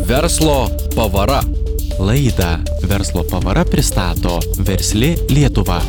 Verslo pavara. Laidą Verslo pavara pristato Versli Lietuva.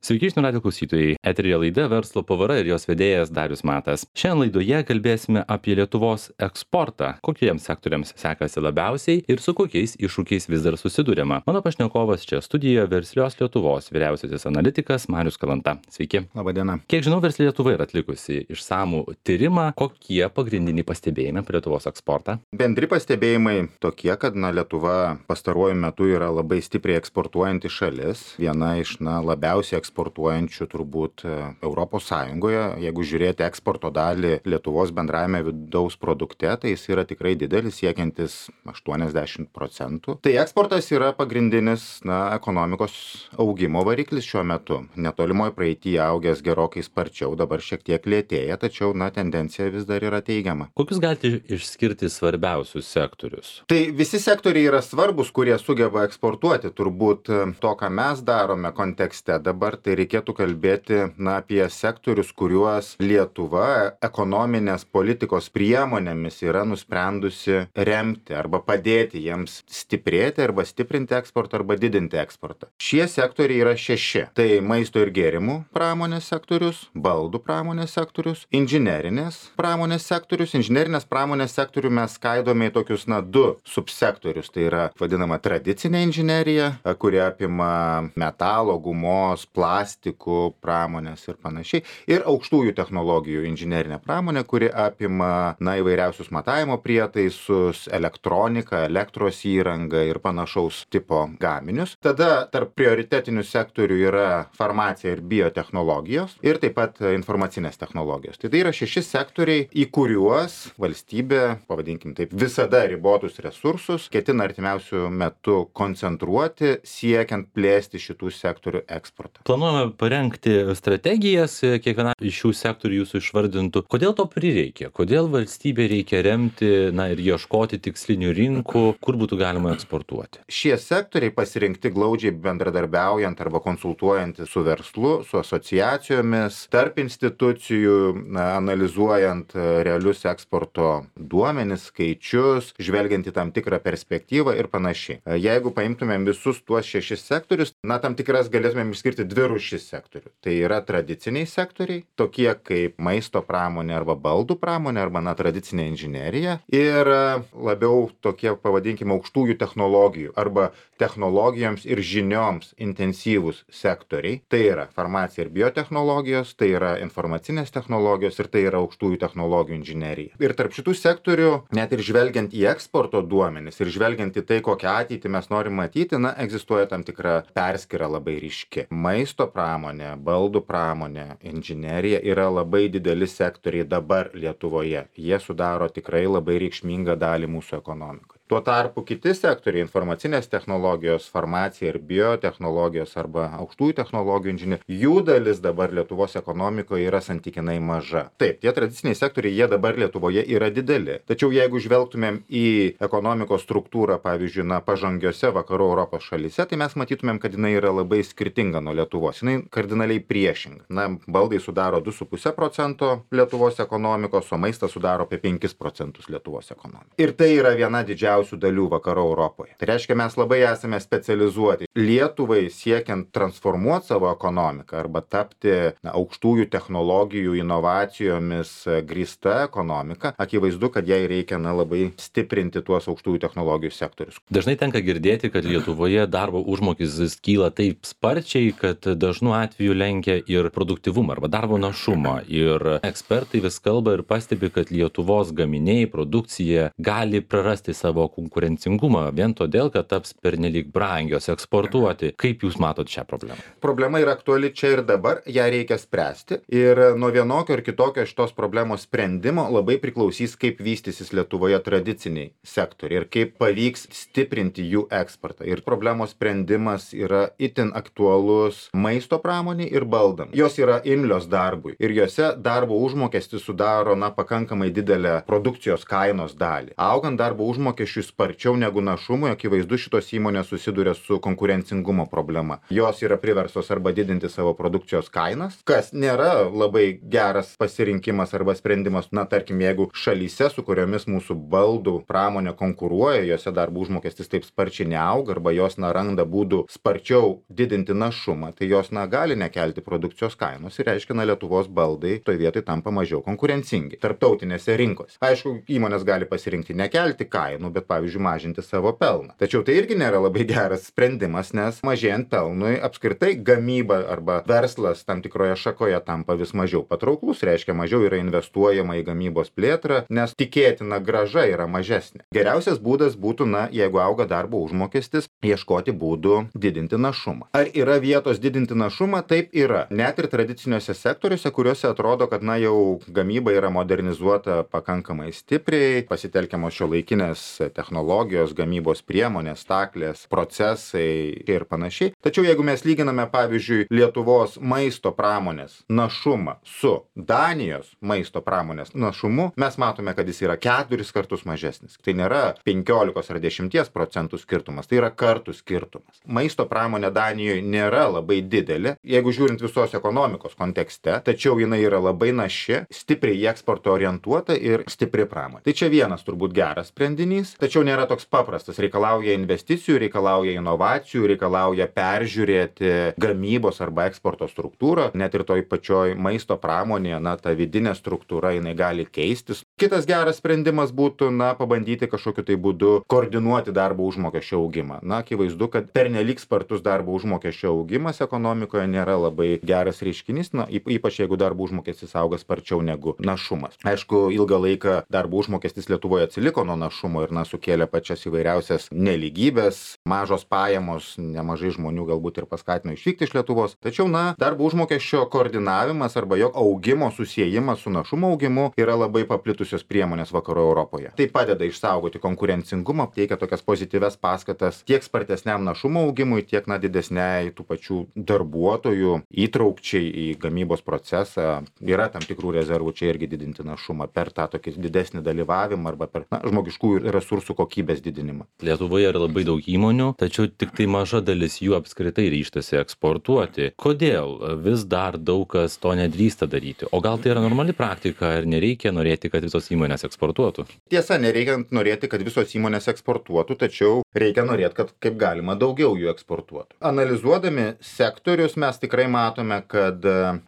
Sveiki, žinių radijo klausytojai. Eteryje laida Verslo pavara ir jos vedėjas Darius Matas. Šiandien laidoje kalbėsime apie Lietuvos eksportą, kokiems sektoriams sekasi labiausiai ir su kokiais iššūkiais vis dar susiduriama. Mano pašnekovas čia studijoje Verslios Lietuvos vyriausiasis analitikas Marius Kalanta. Sveiki. Labadiena. Kiek žinau, Versli Lietuva yra atlikusi išsamų tyrimą. Kokie pagrindiniai pastebėjimai apie Lietuvos eksportą? Bendri pastebėjimai tokie, kad Lietuva pastaruoju metu yra labai stipriai eksportuojanti šalis. Viena iš labiausiai eksportuojančių turbūt Europos Sąjungoje. Jeigu žiūrėti eksporto dalį Lietuvos bendrajame vidaus produkte, tai jis yra tikrai didelis, siekiantis 80%. Tai eksportas yra pagrindinis ekonomikos augimo variklis šiuo metu. Netolimoje praeityje augęs gerokai sparčiau, dabar šiek tiek lėtėja, tačiau tendencija vis dar yra teigiama. Kokius galite išskirti svarbiausius sektorius? Tai visi sektoriai yra svarbus, kurie sugeba eksportuoti. Turbūt to, ką mes darome kontekste dabar, tai reikėtų kalbėti apie sektorius, kuriuos Lietuva ekonominės politikos priemonėmis yra nusprendusi remti arba padėti jiems stiprėti arba stiprinti eksportą arba didinti eksportą. Šie sektoriai yra 6. Tai maisto ir gėrimų pramonės sektorius, baldų pramonės sektorius, inžinerinės pramonės sektorius. Inžinerinės pramonės sektorių mes skaidome į tokius 2 subsektorius. Tai yra vadinama tradicinė inžinerija, kuri apima metalo, gumos, plastikų pramonės ir panašiai. Ir aukštųjų technologijų inžinerinė pramonė, kuri apima įvairiausius matavimo prietaisus, elektroniką, elektros įrangą ir panašaus tipo gaminius. Tada tarp prioritetinių sektorių yra farmacija ir biotechnologijos ir taip pat informacinės technologijos. Tai yra 6 sektoriai, į kuriuos valstybė, pavadinkim taip, visada ribotus resursus ketina artimiausių metų koncentruoti, siekiant plėsti šitų sektorių eksportą. Planuojame parengti strategijas, kiekviena iš šių sektorių jūsų išvardintų. Kodėl to prireikia? Kodėl valstybė reikia remti ir ieškoti tikslinių rinkų, kur būtų galima eksportuoti? Šie sektoriai pasirinkti glaudžiai bendradarbiaujant arba konsultuojant su verslu, su asociacijomis, tarp institucijų, analizuojant realius eksporto duomenis, skaičius, žvelgiant į tam tikrą perspektyvą ir panašiai. Jeigu paimtumėm visus tuos 6 sektorius, tam tikras galėtumėm išskirti 2 rūšis sektorių. Tai yra tradiciniai sektoriai, tokie kaip maisto pramonė arba baldų pramonė arba tradicinė inžinerija ir labiau tokie, pavadinkime, aukštųjų technologijų arba technologijoms ir žinioms intensyvūs sektoriai. Tai yra farmacija ir biotechnologijos, tai yra informacinės technologijos ir tai yra aukštųjų technologijų inžinerija. Ir tarp šitų sektorių, net ir žvelgiant į eksporto duomenis ir žvelgiant į tai, kokią ateitį mes norim matyti, egzistuoja tam tikra perskyra labai ryški. Maisto pramonė, baldų pramonė, inžinerija yra labai dideli sektoriai dabar Lietuvoje. Jie sudaro tikrai labai reikšmingą dalį mūsų ekonomikoje. Tuo tarpu kiti sektoriai, informacinės technologijos, farmacija ir biotechnologijos arba aukštųjų technologijų inžinerija, jų dalis dabar Lietuvos ekonomikoje yra santykinai maža. Taip, tie tradiciniai sektoriai, jie dabar Lietuvoje yra dideli. Tačiau jeigu žvelgtumėm į ekonomikos struktūrą, pavyzdžiui, pažangiose vakarų Europos šalyse, tai mes matytumėm, kad jinai yra labai skirtinga nuo Lietuvos. Jinai kardinaliai priešinga. Baldai sudaro 2,5% Lietuvos ekonomikos, o maistas sudaro apie 5% Lietuvos ekonomikos. Ir tai yra viena didžiausių dalių vakarų Europoje. Tai reiškia, mes labai esame specializuoti. Lietuvai siekiant transformuoti savo ekonomiką arba tapti aukštųjų technologijų inovacijomis grįsta ekonomika, akivaizdu, kad jai reikia labai stiprinti tuos aukštųjų technologijų sektorius. Dažnai tenka girdėti, kad Lietuvoje darbo užmokestis kyla taip sparčiai, kad dažnu atveju lenkia ir produktyvumą arba darbo našumą. Ir ekspertai vis kalba ir pastebi, kad Lietuvos gaminiai, produkcija gali prarasti savo konkurencingumą vien todėl, kad taps pernelyg brangios eksportuoti. Kaip jūs matot šią problemą? Problema yra aktuali čia ir dabar, ją reikia spręsti. Ir nuo vienokio ir kitokio šitos problemos sprendimo labai priklausys, kaip vystysis Lietuvoje tradiciniai sektoriai ir kaip pavyks stiprinti jų eksportą. Ir problemos sprendimas yra itin aktualus maisto pramoniai ir baldam. Jos yra imlios darbui ir jose darbo užmokestis sudaro pakankamai didelę produkcijos kainos dalį. Augant darbo užmokesčiui užmokesčiui sparčiau negu našumui, akivaizdu šitos įmonės susiduria su konkurencingumo problema. Jos yra priversos arba didinti savo produkcijos kainas, kas nėra labai geras pasirinkimas arba sprendimas. Na, tarkim, jeigu šalyse, su kuriomis mūsų baldų pramonė konkuruoja, jose darbo užmokestis taip sparčiai neauga arba jos randa būdų sparčiau didinti našumą, tai jos gali nekelti produkcijos kainos ir reiškia, Lietuvos baldai toj vietoj tampa mažiau konkurencingi tarptautinėse rinkose. Aišku, įmonės gali pasirinkti nekelti kainų, bet pavyzdžiui mažinti savo pelną. Tačiau tai irgi nėra labai geras sprendimas, nes mažėjant pelnui apskritai gamyba arba verslas tam tikroje šakoje tampa vis mažiau patrauklus, reiškia mažiau yra investuojama į gamybos plėtrą, nes tikėtina grąža yra mažesnė. Geriausias būdas būtų, jeigu auga darbo užmokestis, ieškoti būdų didinti našumą. Ar yra vietos didinti našumą? Taip yra. Net ir tradiciniuose sektoriuose, kuriuose atrodo, kad jau gamyba yra modernizuota pakankamai stipriai, pasitelkiamos šiuolaikinės technologijos, gamybos priemonės, staklės, procesai ir panašiai. Tačiau jeigu mes lyginame, pavyzdžiui, Lietuvos maisto pramonės našumą su Danijos maisto pramonės našumu, mes matome, kad jis yra 4 kartus mažesnis. Tai nėra 15 ar 10% skirtumas, tai yra kartų skirtumas. Maisto pramonė Danijoje nėra labai didelė, jeigu žiūrint visos ekonomikos kontekste, tačiau jinai yra labai naši, stipriai į eksportą orientuota ir stipri pramonė. Tai čia vienas turbūt geras sprendinys, tačiau nėra toks paprastas. Reikalauja investicijų, reikalauja inovacijų, reikalauja peržiūrėti gamybos arba eksporto struktūrą. Net ir toj pačioj maisto pramonėje, ta vidinė struktūra, jinai gali keistis. Kitas geras sprendimas būtų, pabandyti kažkokiu tai būdu koordinuoti darbo užmokesčio augimą. Akivaizdu, kad pernelyg spartus darbo užmokesčio augimas ekonomikoje nėra labai geras reiškinys, ypač jeigu darbo užmokestis auga sparčiau negu našumas. Aišku, ilgą laiką darbo užmokestis Lietuvoje atsiliko nuo našumo ir sukėlė pačias įvairiausias nelygybės, mažos pajamos, nemažai žmonių galbūt ir paskatino išvykti iš Lietuvos. Tačiau, darbo užmokesčio koordinavimas arba jo augimo susiejimas su našumo augimu yra labai paplitusios priemonės vakarų Europoje. Tai padeda išsaugoti konkurencingumą, teikia tokias pozityves paskatas tiek spartesniam našumo augimui, tiek didesniai tų pačių darbuotojų įtraukčiai į gamybos procesą. Yra tam tikrų rezervų čia irgi didinti našumą per tą tokį didesnį dalyvavimą arba per žmogiškųjų resursų kokybės didinimą. Lietuvoje yra labai daug įmonių, tačiau tik tai maža dalis jų apskritai ryžtasi eksportuoti. Kodėl vis dar daug kas to nedrįsta daryti? O gal tai yra normali praktika ir nereikia norėti, kad visos įmonės eksportuotų? Tiesa, nereikia norėti, kad visos įmonės eksportuotų, tačiau reikia norėti, kad kaip galima daugiau jų eksportuotų. Analizuodami sektorius mes tikrai matome, kad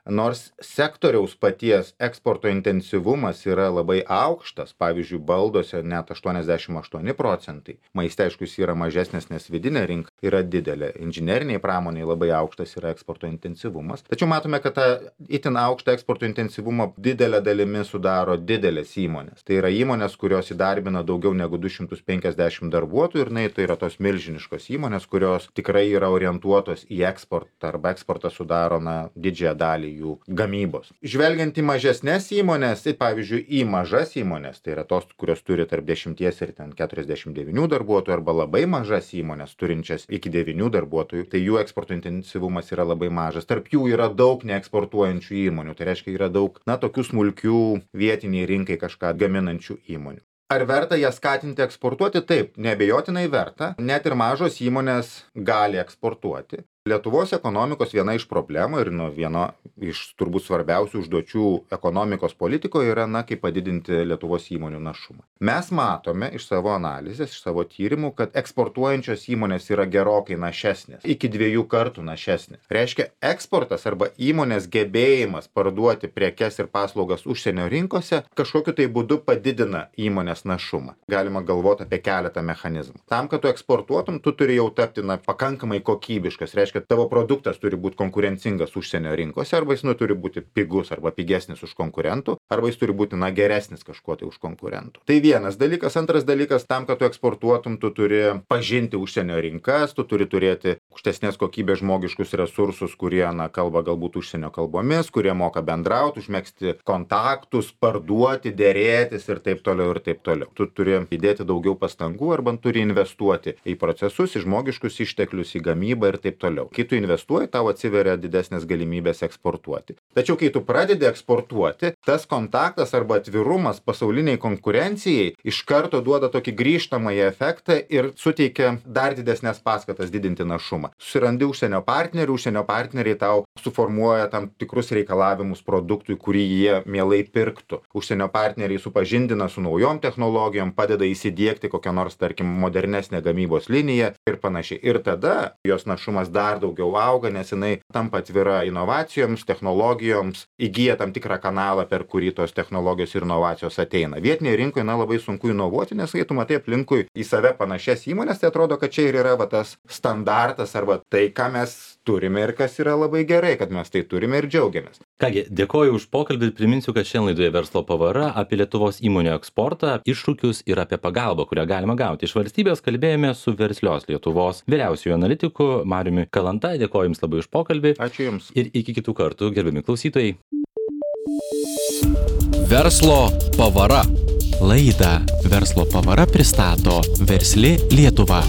nors sektoriaus paties eksporto intensyvumas yra labai aukštas, pavyzdžiui, balduose net 88%, maiste aišku jis yra mažesnis, nes vidinė rinka yra didelė, inžineriniai pramoniai labai aukštas yra eksporto intensyvumas, tačiau matome, kad tą itin aukštą eksporto intensyvumą didelę dalimi sudaro didelės įmonės. Tai yra įmonės, kurios įdarbina daugiau negu 250 darbuotojų ir tai yra tos milžiniškos įmonės, kurios tikrai yra orientuotos į eksportą arba eksportą sudaro didžiąją dalį jų gamybos. Žvelgiant į mažesnės įmonės, pavyzdžiui, į mažas įmonės, tai yra tos, kurios turi tarp 10 ir 49 darbuotojų arba labai mažas įmonės turinčias iki 9 darbuotojų, tai jų eksporto intensyvumas yra labai mažas. Tarp jų yra daug neeksportuojančių įmonių, tai reiškia yra daug tokių smulkių vietiniai rinkai kažką gaminančių įmonių. Ar verta jas skatinti eksportuoti? Taip, neabejotinai verta. Net ir mažos įmonės gali eksportuoti. Lietuvos ekonomikos viena iš problemų ir viena iš turbūt svarbiausių užduočių ekonomikos politikoje yra, kaip padidinti Lietuvos įmonių našumą. Mes matome iš savo analizės, iš savo tyrimų, kad eksportuojančios įmonės yra gerokai našesnės, iki 2 kartų našesnės. Reiškia, eksportas arba įmonės gebėjimas parduoti prekes ir paslaugas užsienio rinkose kažkokiu tai būdu padidina įmonės našumą. Galima galvoti apie keletą mechanizmų. Tam, kad tu eksportuotum, tu turi jau tapti pakankamai kokybiškas. Reiškia, tavo produktas turi būti konkurencingas užsienio rinkose, arba jis turi būti pigus arba pigesnis už konkurentų, arba jis turi būti geresnis kažkuo tai už konkurentų. Tai vienas dalykas. Antras dalykas, tam, kad tu eksportuotum, tu turi pažinti užsienio rinkas, tu turi turėti aukštesnės kokybės žmogiškus resursus, kurie kalba galbūt užsienio kalbomis, kurie moka bendrauti, užmegzti kontaktus, parduoti, dėrėtis ir taip toliau ir taip toliau. Tu turi įdėti daugiau pastangų arba turi investuoti į procesus, į žmogiškus išteklius, į gamybą ir taip toliau. toliau. Kai tu investuoji, tau atsiveria didesnės galimybės eksportuoti. Tačiau kai tu pradedi eksportuoti, tas kontaktas arba atvirumas pasauliniai konkurencijai iš karto duoda tokį grįžtamąjį efektą ir suteikia dar didesnės paskatas didinti našumą. Susirandi užsienio partneriai tau suformuoja tam tikrus reikalavimus produktui, kurį jie mielai pirktų. Užsienio partneriai supažindina su naujom technologijom, padeda įsidiegti kokią nors, tarkim, modernesnę gamybos liniją ir panašiai. Ir tada jos našumas dar daugiau auga, nes jinai tampa atvira inovacijoms, technologijoms, įgyja tam tikrą kanalą, per kurį tos technologijos ir inovacijos ateina. Vietinėje rinkoje labai sunku inovuoti, nes kai tu matai aplinkui į save panašias įmonės, tai atrodo, kad čia ir yra tas standartas arba tai, ką mes turime ir kas yra labai gerai, kad mes tai turime ir džiaugiamės. Kągi, dėkoju už pokalbį ir priminsiu, kad šiandien laidoje Verslo pavara apie Lietuvos įmonių eksportą, iššūkius ir apie pagalbą, kurią galima gauti iš valstybės, kalbėjome su Verslios Lietuvos vyriausiuoju analitiku Mariumi Kalanta. Dėkoju Jums labai už pokalbį. Ačiū Jums. Ir iki kitų kartų, gerbiami klausytojai. Verslo pavara. Laidą Verslo pavara pristato Versli Lietuva.